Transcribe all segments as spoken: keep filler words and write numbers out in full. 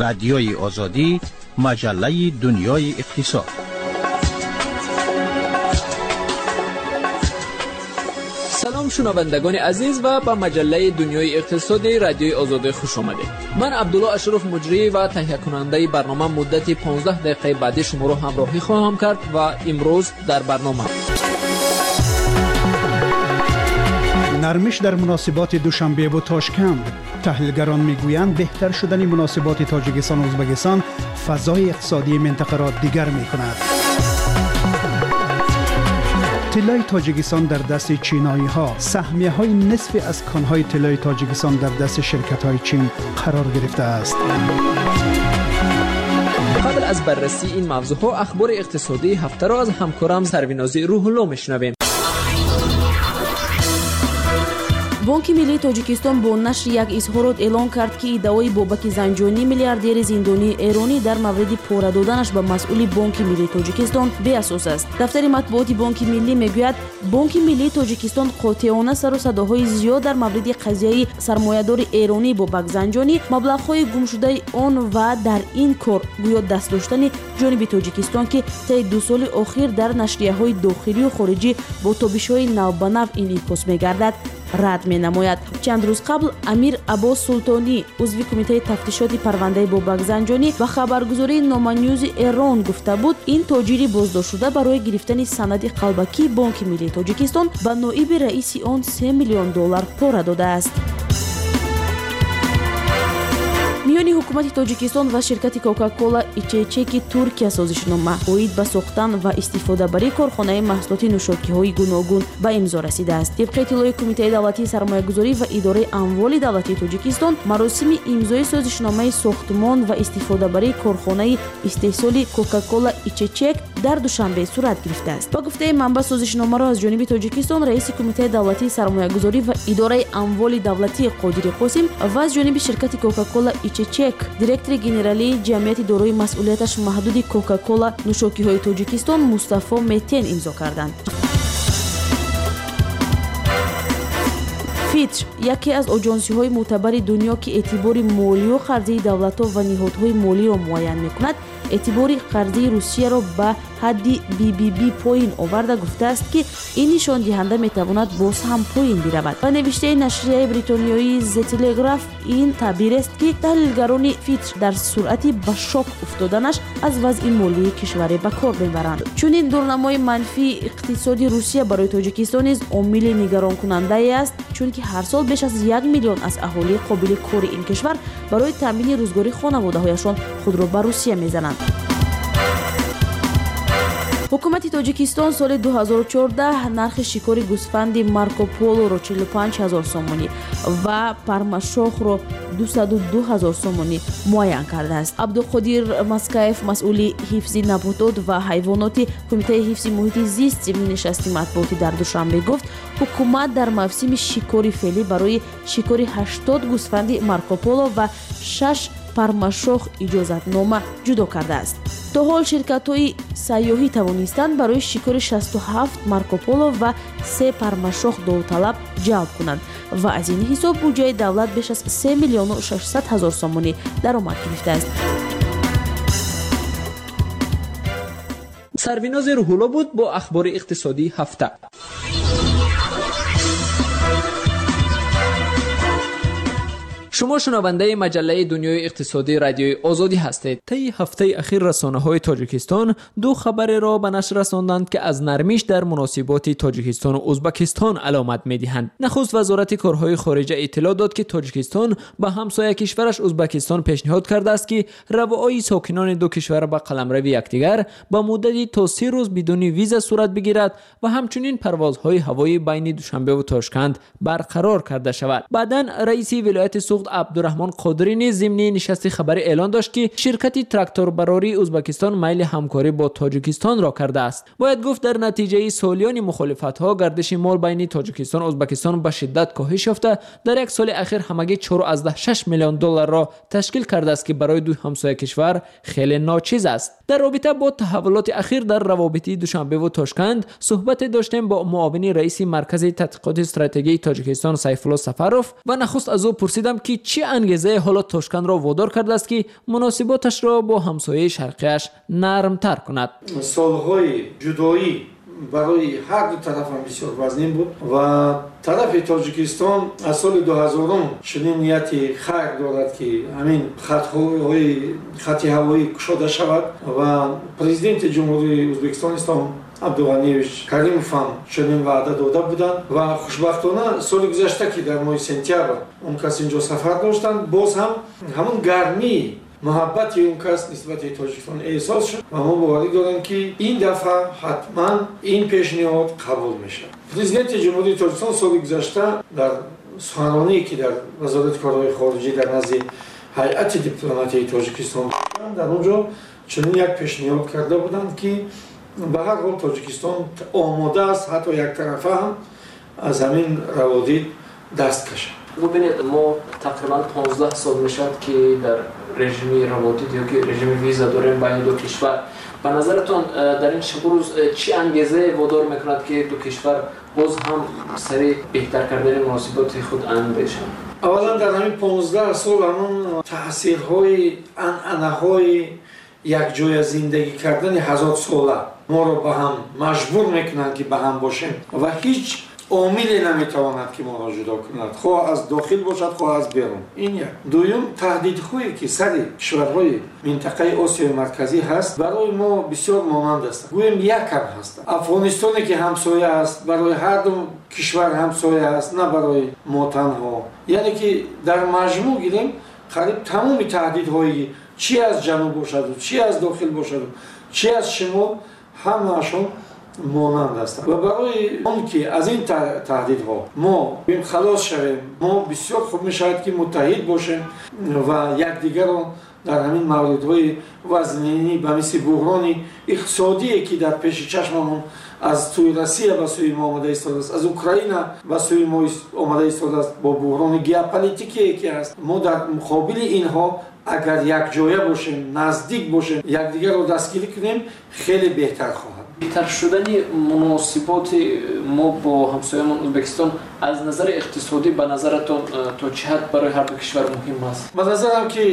Радиои Озодӣ, маҷаллаи дунёи иқтисод. Салом шунавандагони азиз ва ба маҷаллаи дунёи иқтисоди Радиои Озодӣ хуш омадед. Ман Абдулло Ашраф, муҷрӣ ва таҳиякунандаи барнома, муддати понздаҳ дақиқаи баъдӣ шуморо ҳамроҳӣ хоҳам кард ва имрӯз дар барнома нармиш дар муносиботи Душанбе ва Тошканд. Таҳлилгарон мегӯянд, беҳтар шудани муносиботи Тоҷикистон ва Ӯзбекистон фазои иқтисодии минтақаро дигар мекунад. Тиллои Тоҷикистон дар дасти чиноиҳо. Саҳмияҳои нисфи аз конҳои тиллои Тоҷикистон дар дасти ширкатҳои Чин қарор гирифтааст. Қабл аз баррасии ин мавзӯъҳо ахбори иқтисодии ҳафтаро аз ҳамкорам Сарвинози Рӯҳулло мешунавем. Бонки Миллии Тоҷикистон бо нашри як изҳорот эълон кард, ки иддаои Бобаки Занҷонӣ, миллиардери зиндонии эронӣ, дар мавриди пора доданаш ба масъули Бонки Миллии Тоҷикистон беасос аст. Дафтари матбуоти Бонки Миллӣ мегӯяд, Бонки Миллии Тоҷикистон қотеона сару садоҳои зиёд дар мавриди қазияи сармоядори эронӣ Бобак Занҷонӣ, маблағҳои гумшудаи он ва дар ин кор гӯё даст доштани ҷониби Тоҷикистон, ки таи ду соли охир дар нашрияҳои дохилию хориҷӣ бо тобишҳои навбанав инъикос мегардад, рад менамояд. Чанд рӯз қабл Амир Аббос Султонӣ, узви кумитаи тафтишоти парвандаи Бобак Занҷонӣ, ба хабаргузории Номанюзи Эрон гуфта буд, ин тоҷири боздоштшуда барои гирифтани санади қалбакии Бонки Миллии Тоҷикистон ба ноиби раиси он се миллион доллар пора додааст. Миёни ҳукумати Тоҷикистон ва ширкати Кока-Кола Ичечеки Туркия созишнома оид ба сохтан ва истифодабарии корхонаи маҳсулоти нӯшокиҳои гуногун ба имзо расидааст. Тибқи иттилои Кумитаи давлатии сармоягузорӣ ва идораи амволи давлатии Тоҷикистон, маросими имзои созишномаи сохтмон ва истифодабарии корхонаи истеҳсоли Кока-Кола Ичечек дар Душанбе сурат гирифтааст. Ба гуфтаи манбаъ, созишномаро аз ҷониби Тоҷикистон раиси Кумитаи давлатии сармоягузорӣ ва идораи амволи давлатии Қодири Қосим ва аз ҷониби ширкати Кока-Кола Ичечек директори генералии ҷамъияти дорои масъулияташ маҳдуди Кока-Кола нӯшокиҳои Тоҷикистон Мустафо Метен имзо карданд. Фитч, яке аз оҷонсиҳои мӯътабари дунё, ки эътибори молию қарзии давлатҳо ва ниҳодҳои молиро муайян мекунад, эътибори қарзии Русияро ба ҳадди би би би поин оварда гуфтааст, ки ин нишондиҳанда метавонад боз ҳам поин биравад. Ба навиштаи нашрияи бритониёии The Telegraph, ин таъбирест, ки таҳлилгарони Фитч дар суръати ба шок уфтоданаш аз вазъи молии кишваре ба кор мебаранд. Чунин дурнамои манфии иқтисоди Русия барои Тоҷикистон низ омили нигаронкунандае аст, чунки ҳар сол беш аз як миллион аз аҳолии қобили кори ин кишвар барои таъмини рӯзгори хонаводаҳояшон худро ба Русия мезананд. Ҳукумати Тоҷикистон соли ду ҳазору чордаҳ нархи шикори гӯсфанди Марко Полоро чилу панҷ ҳазор сомонӣ ва пармашохро дусаду ду ҳазор сомонӣ муайян кардааст. Абдуқодир Маскаев, масъули ҳифзи наботот ва ҳайвоноти Кумитаи ҳифзи муҳити зист, зимни нишасти матбуотӣ дар Душанбе гуфт, ҳукумат дар мавсими шикори феълӣ барои шикори ҳаштод гӯсфанди Марко Поло ва шаш пармашох иҷозатнома ҷудо кардааст. То ҳол ширкатҳои сайёҳӣ тавонистанд барои шикори шасту ҳафт Марко Поло ва се пармашох довталаб ҷалб кунанд ва аз ин ҳисоб буҷаи давлат беш аз се миллиону шашсад ҳазор сомонӣ даромад гирифтааст. Сарвинози Рӯҳулло буд бо ахбори иқтисодии ҳафта. Шумо шунавандаи маҷаллаи дунёи иқтисодии Радиои Озодӣ ҳастед. Таи ҳафтаи ахир расонаҳои Тоҷикистон ду хабареро ба нашр расонданд, ки аз нармиш дар муносиботи Тоҷикистону Ӯзбекистон аломат медиҳанд. Нахуст вазорати корҳои хориҷа иттилоъ дод, ки Тоҷикистон ба ҳамсоя кишвараш Ӯзбекистон пешниҳод кардааст, ки равои сокинони ду кишвар ба қаламрави якдигар ба муддати то се рӯз бидуни виза сурат бигирад ва ҳамчунин парвозҳои ҳавоӣ байни Душанбе ва Тошканд барқарор карда шавад. Баъдан раиси вилояти Суғд Абдураҳмон Қодирӣ низ зимни нишасти хабарӣ эълон дошт, ки ширкати тракторбарории Ӯзбекистон майли ҳамкорӣ бо Тоҷикистонро кардааст. Бояд гуфт, дар натиҷаи солиёни мухолифатҳо гардиши мол байни Тоҷикистон Ӯзбекистон ба шиддат коҳиш ёфта, дар як соли ахир ҳамагӣ чор аз даҳ шаш миллион долларро ташкил кардааст, ки барои ду ҳамсоя кишвар хеле ночиз аст. Дар робита бо таҳаввулоти ахир дар равобити Душанбе ва Тошканд суҳбате доштем бо муовини раиси Маркази тадқиқоти стратегии Тоҷикистон Сайфулло Сафаров ва нахуст аз ӯ пурсидам, ки ки чӣ ангезае ҳоло Тошкандро водор кардааст, ки муносиботашро бо ҳамсояи шарқияш нармтар кунад. Солҳои ҷудоӣ барои ҳар ду тараф ҳам бисёр вазнин буд ва тарафи Тоҷикистон аз соли дуҳазорум чунин нияти хайр дорад, ки ҳамин хатҳои хати ҳавоӣ кушода шавад ва президенти Ҷумҳурии Ӯзбекистон Ислом Абдуғаниевич Каримов ҳам чунин ваъда дода буданд ва хушбахтона соли гузашта, ки дар моҳи сентябр он кас инҷо сафар доштанд, боз ҳам ҳамон гармии муҳаббати он кас нисбати Тоҷикистон эҳсос шуд ва мо боварӣ дорем, ки ин дафъа ҳатман ин пешниҳод қабул мешавад. Президенти Ҷумҳурии Тоҷикистон соли гузашта дар суханроние, ки дар Вазорати корҳои хориҷӣ дар назди ҳайати дипломатияи Тоҷикистон, дар он ҷо чунин як пешниҳод карда буданд, ки ба ҳар ҳол Тоҷикистон омода аст ҳатто яктарафа ҳам аз ҳамин раводид даст кашад. Бубинед, мо тақрибан понздаҳ сол мешавад, ки дар режими раводид ё ки режими виза дорем байни ду кишвар. Ба назаратон дар ин шабу рӯз чӣ ангезае водор мекунад, ки ду кишвар боз ҳам сари беҳтар кардани муносиботи худ андешанд? Аввалан дар ҳамин понздаҳ сол ҳамон таъсирҳои анъанаҳои якҷоя зиндагӣ кардани ҳазорсола моро ба ҳам маҷбур мекунанд, ки ба ҳам бошем ва ҳеҷ омиле наметавонад, ки моро ҷудо кунад, хоҳ аз дохил бошад, хоҳ аз берун. Ин як. Дуюм, таҳдидҳое, ки сари кишварҳои минтақаи Осиёи Марказӣ ҳаст, барои мо бисёр монанд ҳастанд, гӯем якам ҳастанд. Афғонистоне, ки ҳамсоя аст, барои ҳар ду кишвар ҳамсоя аст, на барои мо танҳо. Яъне ки дар маҷмӯъ гирем, қариб тамоми таҳдидҳои чӣ аз ҷануб бошаду, чӣ аз дохил бошаду, чӣ аз шимол, ҳамаашон монанд ҳастанд. Ва барои он ки аз ин таҳдидҳо мо халос шавем, мо бисёр хуб мешавад, ки муттаҳид бошем ва якдигарро дар ҳамин мавридҳои вазнинӣ ба мисли буҳрони иқтисодие, ки дар пеши чашмамон аз сӯи Россия ба сӯи мо омада истодааст, аз Украина ба сӯи мо омада истодааст, бо буҳрони геополитикие, ки ҳаст, мо дар муқобили инҳо агар якҷоя бошем, наздик бошем, якдигарро дастгирӣ кунем, хеле беҳтар хоҳад. Беҳтар шудани муносиботи мо бо ҳамсоямон Ӯзбекистон аз назари иқтисодӣ ба назаратон то чӣ ҳад барои ҳар ду кишвар муҳим аст? Ба назарам, ки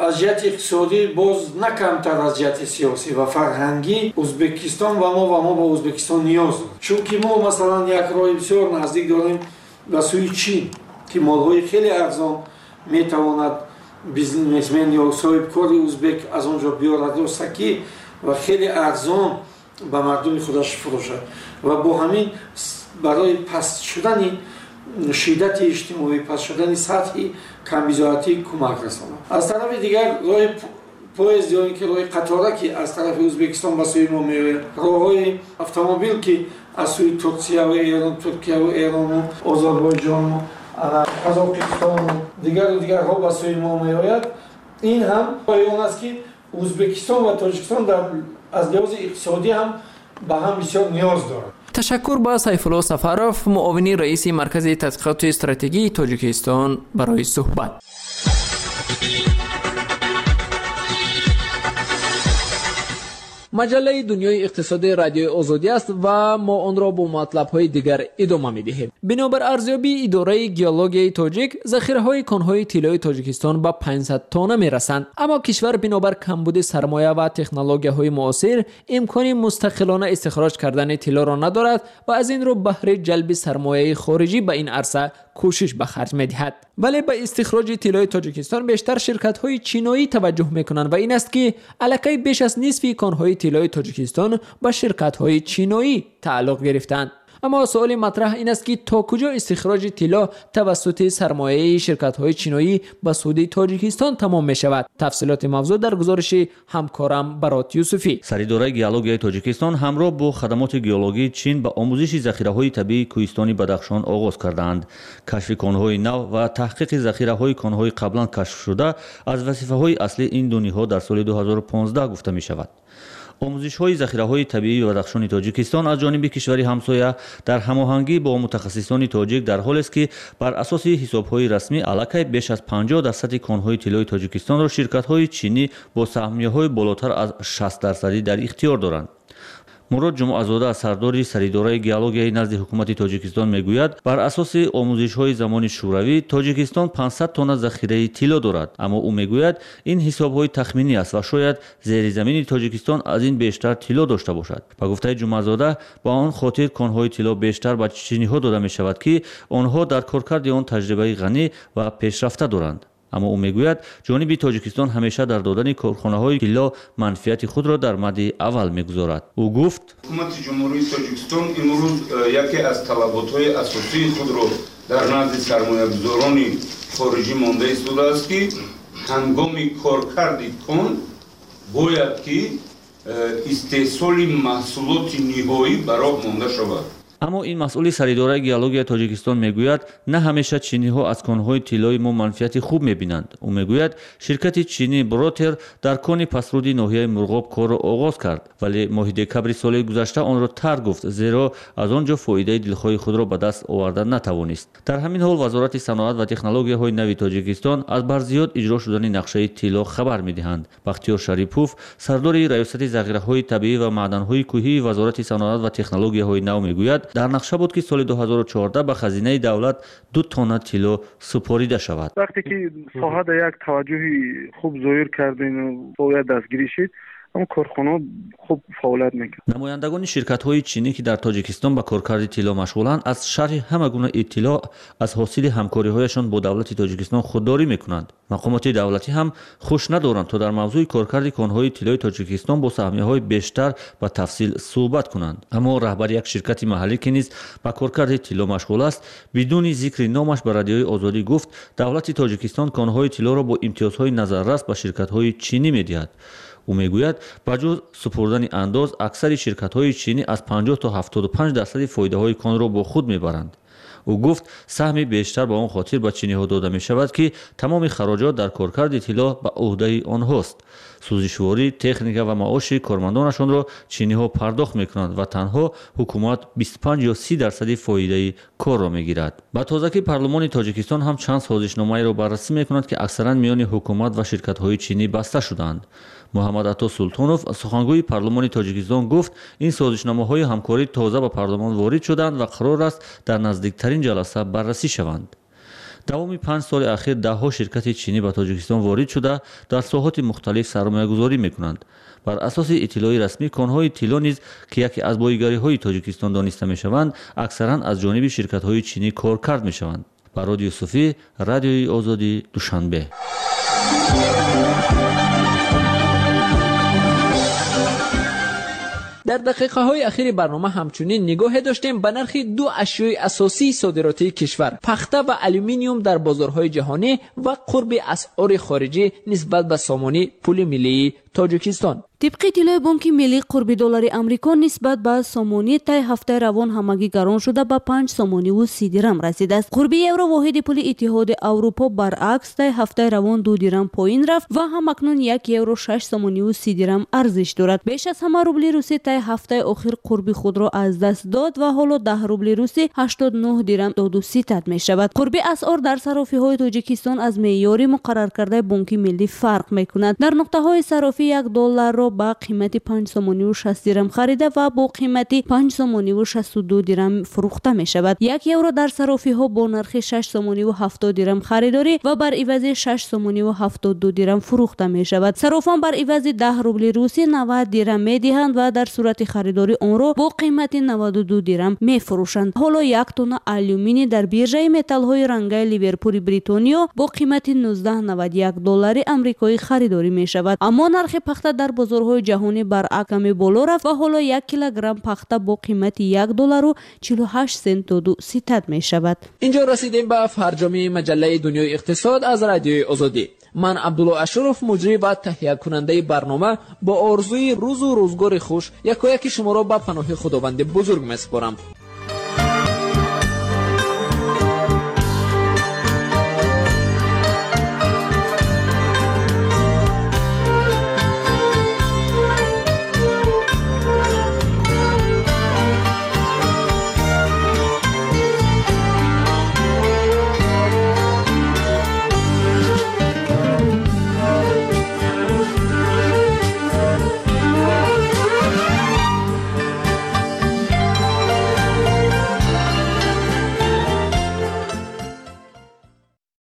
аз ҷиҳати иқтисодӣ боз на камтар аз ҷиҳати сиёсӣ ва фарҳангӣ Ӯзбекистон ба мо ва мо ба Ӯзбекистон ниёз дорем. Чунки мо масалан як роҳи бисёр наздик дорем ба сӯи Чин, ки молҳои хеле арзон метавонад бизнесмен ё соҳибкори ӯзбек аз он ҷо биёрад ростакӣ ва хеле арзон ба мардуми худаш фурӯшад ва бо ҳамин барои паст шудани шиддати иҷтимоӣ, паст шудани сатҳи камбизоатӣ кӯмак расонад. Аз тарафи дигар роҳи поезд ё ин ки роҳи қатора, ки аз тарафи Ӯзбекистон ба сӯи мо меояд, роҳҳои автомобил, ки аз сӯи Туркия ва Эрон, Туркия ва Эрону Озарбойҷону Қазоқистону дигару дигарҳо ба сӯи мо меояд, ин ҳам он аст, ки Ӯзбекистон ва Тоҷикистон дар аз лиҳози иқтисодӣ ҳам ба ҳам бисёр ниёз дорад. Ташаккур ба Сайфулло Сафаров, муовини раиси Маркази тадқиқоти стратегии Тоҷикистон барои суҳбат. Маҷаллаи дунёи иқтисодии Радиои Озодӣ аст ва мо онро бо матлабҳои дигар идома медиҳем. Бинобар арзёбии идораи геологияи тоҷик, захираҳои конҳои тиллои Тоҷикистон ба панҷсад тонна мерасанд. Аммо кишвар бинобар камбуди сармоя ва технологияҳои муосир имкони мустақилона истихроҷ кардани тиллоро надорад ва аз ин рӯ баҳри ҷалби сармояи хориҷӣ ба ин арса кӯшиш ба харҷ медиҳад. Вале ба истихроҷи тиллои Тоҷикистон бештар ширкатҳои чиноӣ таваҷҷӯҳ мекунанд ва ин аст, ки аллакай беш аз нисфи конҳои тиллои Тоҷикистон ба ширкатҳои чиноӣ тааллуқ гирифтанд. Аммо суоли матраҳ ин аст, ки то куҷо истихроҷи тилло тавассути сармояи ширкатҳои чиноӣ ба суди Тоҷикистон тамом мешавад. Тафсилоти мавзӯъ дар гузориши ҳамкорам Барот Юсуфӣ. Саридораи геологияи Тоҷикистон ҳамроҳ бо хадамоти геологии Чин ба омӯзиши захираҳои табиии кӯҳистони Бадахшон оғоз кардаанд. Кашфи конҳои нав ва таҳқиқи захираҳои конҳои қаблан кашфшуда аз вазифаҳои аслии ин ду ниҳод дар соли ду ҳазору понздаҳ гуфта мешавад. Омӯзишҳои захираҳои табиии Бадахшони Тоҷикистон аз ҷониби кишвари ҳамсоя дар ҳамоҳангӣ бо мутахассисони тоҷик дар ҳолест, ки бар асоси ҳисобҳои расмӣ аллакай беш аз панҷоҳ дарсади конҳои тиллои Тоҷикистонро ширкатҳои чинӣ бо саҳмияҳои болотар аз шаст дарсадӣ дар ихтиёр доранд. Мурод Ҷумъазода, сардори саридораи геологияи назди ҳукумати Тоҷикистон мегӯяд, бар асоси омӯзишҳои замони Шӯравӣ Тоҷикистон панҷсад тонна захираи тилло дорад. Аммо ӯ мегӯяд, ин ҳисобҳои тахминӣ аст ва шояд зери замини Тоҷикистон аз ин бештар тилло дошта бошад. Ба гуфтаи Ҷумъазода, ба он хотир конҳои тилло бештар ба чиниҳо дода мешавад, ки онҳо дар коркарди он таҷрибаи ғанӣ ва пешрафта доранд. Аммо ӯ мегӯяд, ҷониби Тоҷикистон ҳамеша дар додани корхонаҳои тилло манфиати худро дар мадди аввал мегузорад. Ӯ гуфт: ҳукумати Ҷумҳурии Тоҷикистон имрӯз яке аз талаботҳои асосии худро дар назди сармоягузорони хориҷӣ монда истодааст, ки ҳангоми коркарди кон бояд ки истеҳсоли маҳсулоти ниҳоӣ ба роҳ монда шавад. Аммо ин масъули саридораи геологияи Тоҷикистон мегӯяд, на ҳамеша чиниҳо аз конҳои тиллои мо манфиати хуб мебинанд. Ӯ мегӯяд, ширкати чинӣ Бротер дар кони пасруди ноҳияи Мурғоб корро оғоз кард, вале моҳи декабри соли гузашта онро тарк гуфт, зеро аз он ҷо фоидаи дилхоҳи худро ба даст оварда натавонист. Дар ҳамин ҳол Вазорати саноат ва технологияҳои нави Тоҷикистон аз барзиёд иҷро шудани нақшаи тилло хабар медиҳанд. Бахтиёр Шарипов, сардори раёсати захираҳои табиӣ ва маъданҳои кӯҳии Вазорати саноат ва технологияҳои нав мегӯяд, дар нақша буд, ки соли ду ҳазору чордаҳ ба хазинаи давлат ду тонна тилло супорида шавад. Вақте ки соҳа дар як таваҷҷӯҳи хуб зоҳир кардем ва дастгирӣ шид, ҳам корхона хуб фаъолият мекунад. Намояндагони ширкатҳои чинӣ, ки дар Тоҷикистон ба коркарди тилло машғуланд, аз шарҳи ҳама гуна иттилоъ аз ҳосили ҳамкориҳояшон бо давлати Тоҷикистон худдорӣ мекунанд. Мақомоти давлатӣ ҳам хуш надоранд, то дар мавзӯи коркарди конҳои тиллои Тоҷикистон бо саҳмияҳои бештар ба тафсил суҳбат кунанд. Аммо раҳбари як ширкати маҳаллӣ, ки низ ба коркарди тилло машғул аст, бидуни зикри номаш ба Радиои Озодӣ гуфт, давлати Тоҷикистон конҳои тиллоро бо имтиёзҳои назаррас ба ширкатҳои чинӣ медиҳад. Ӯ мегӯяд, ба ҷуз супурдани андоз, аксари ширкатҳои чинӣ аз панҷоҳ то ҳафтоду панҷ дарсади фоидаҳои конро бо худ мебаранд. Ӯ гуфт, саҳми бештар ба он хотир ба чиниҳо дода мешавад, ки тамоми хароҷот дар коркарди тилло ба ӯҳдаи онҳост. Сӯзишворӣ, техника ва маоши кормандонашонро чиниҳо пардохт мекунанд ва танҳо ҳукумат бисту панҷ ё си дарсади фоидаи корро мегирад. Ба тозагӣ парлумони Тоҷикистон ҳам чанд созишномаеро баррасӣ мекунад, ки аксаран миёни ҳукумат ва ширкатҳои чинӣ баста шудаанд. Муҳаммад Ато Султонов, сухангӯи парлумони Тоҷикистон, гуфт, ин созишномаҳои ҳамкорӣ тоза ба парлумон ворид шуданд ва қарор аст дар наздиктарин ҷаласа баррасӣ шаванд. Давоми панҷ соли ахир даҳҳо ширкати чинӣ ба Тоҷикистон ворид шуда, дар соҳоти мухталиф сармоягузорӣ мекунанд. Бар асоси иттилои расмӣ, конҳои тилло низ, ки яке аз боигариҳои Тоҷикистон дониста мешаванд, аксаран аз ҷониби ширкатҳои чинӣ коркард мешаванд. Барод Юсуфӣ, Радиои Озодӣ, Душанбе. Дар дақиқаҳои ахири барнома ҳамчунин нигоҳе доштем ба нархи ду ашёи асосии содиротии кишвар, пахта ва алюминиум дар бозорҳои ҷаҳонӣ ва қурби асъори хориҷӣ нисбат ба сомонӣ пули миллии Тоҷикистон. Тибқи иттилои Бонки Миллӣ, қурби доллари Амрико нисбат ба сомонӣ тай ҳафтаи равон ҳамагӣ гарон шуда ба панҷ сомониву си дирам расидааст. Қурби евро воҳиди пули Иттиҳоди Аврупо баръакс тай ҳафтаи равон ду дирам поин рафт ва ҳамакнун як евро шаш сомониву си дирам арзиш дорад. Беш аз ҳама рубли русӣ тай ҳафтаи охир қурби худро аз даст дод ва ҳоло даҳ рубли русӣ ҳаштод нӯҳ дирам доду ситад мешавад. Қурби асъор дар сарофиҳои Тоҷикистон аз меъёри муқарраркардаи Бонки Миллӣ фарқ мекунад. Дар нуқтаҳои сарофӣ як долларро ба қимати панҷ сомониву шаст дирам харида ва бо қимати панҷ сомониву шасту ду дирам фурӯхта мешавад. Як евро дар сарофиҳо бо нархи шаш сомониву ҳафтод дирам харидорӣ ва бар ивази шаш сомониву ҳафтоду ду дирам фурӯхта мешавад. Сарофон бар ивази даҳ рубли русӣ навад дирам медиҳанд ва дар сурати харидорӣ онро бо қимати наваду ду дирам мефурӯшанд. Ҳоло як тонна алюминий дар биржаи металлҳои рангаи Ливерпули Бритониё бо қимати нуздаҳ навад як доллари амрикоӣ харидорӣ мешавад. Аммо нархи пахта дар бозорҳои ҷаҳонӣ баръакс каме боло рафт ва ҳоло як килограмм пахта бо қимати як доллару чилу ҳашт сент доду ситад мешавад. Инҷо расидем ба фарҷоми маҷаллаи дунёи иқтисод аз Радиои Озодӣ. Ман Абдулло Ашуров, муҷрӣ ва таҳиякунандаи барнома, бо орзуи рӯзу рӯзгори хуш якояки шуморо ба паноҳи Худованди бузург месупорам.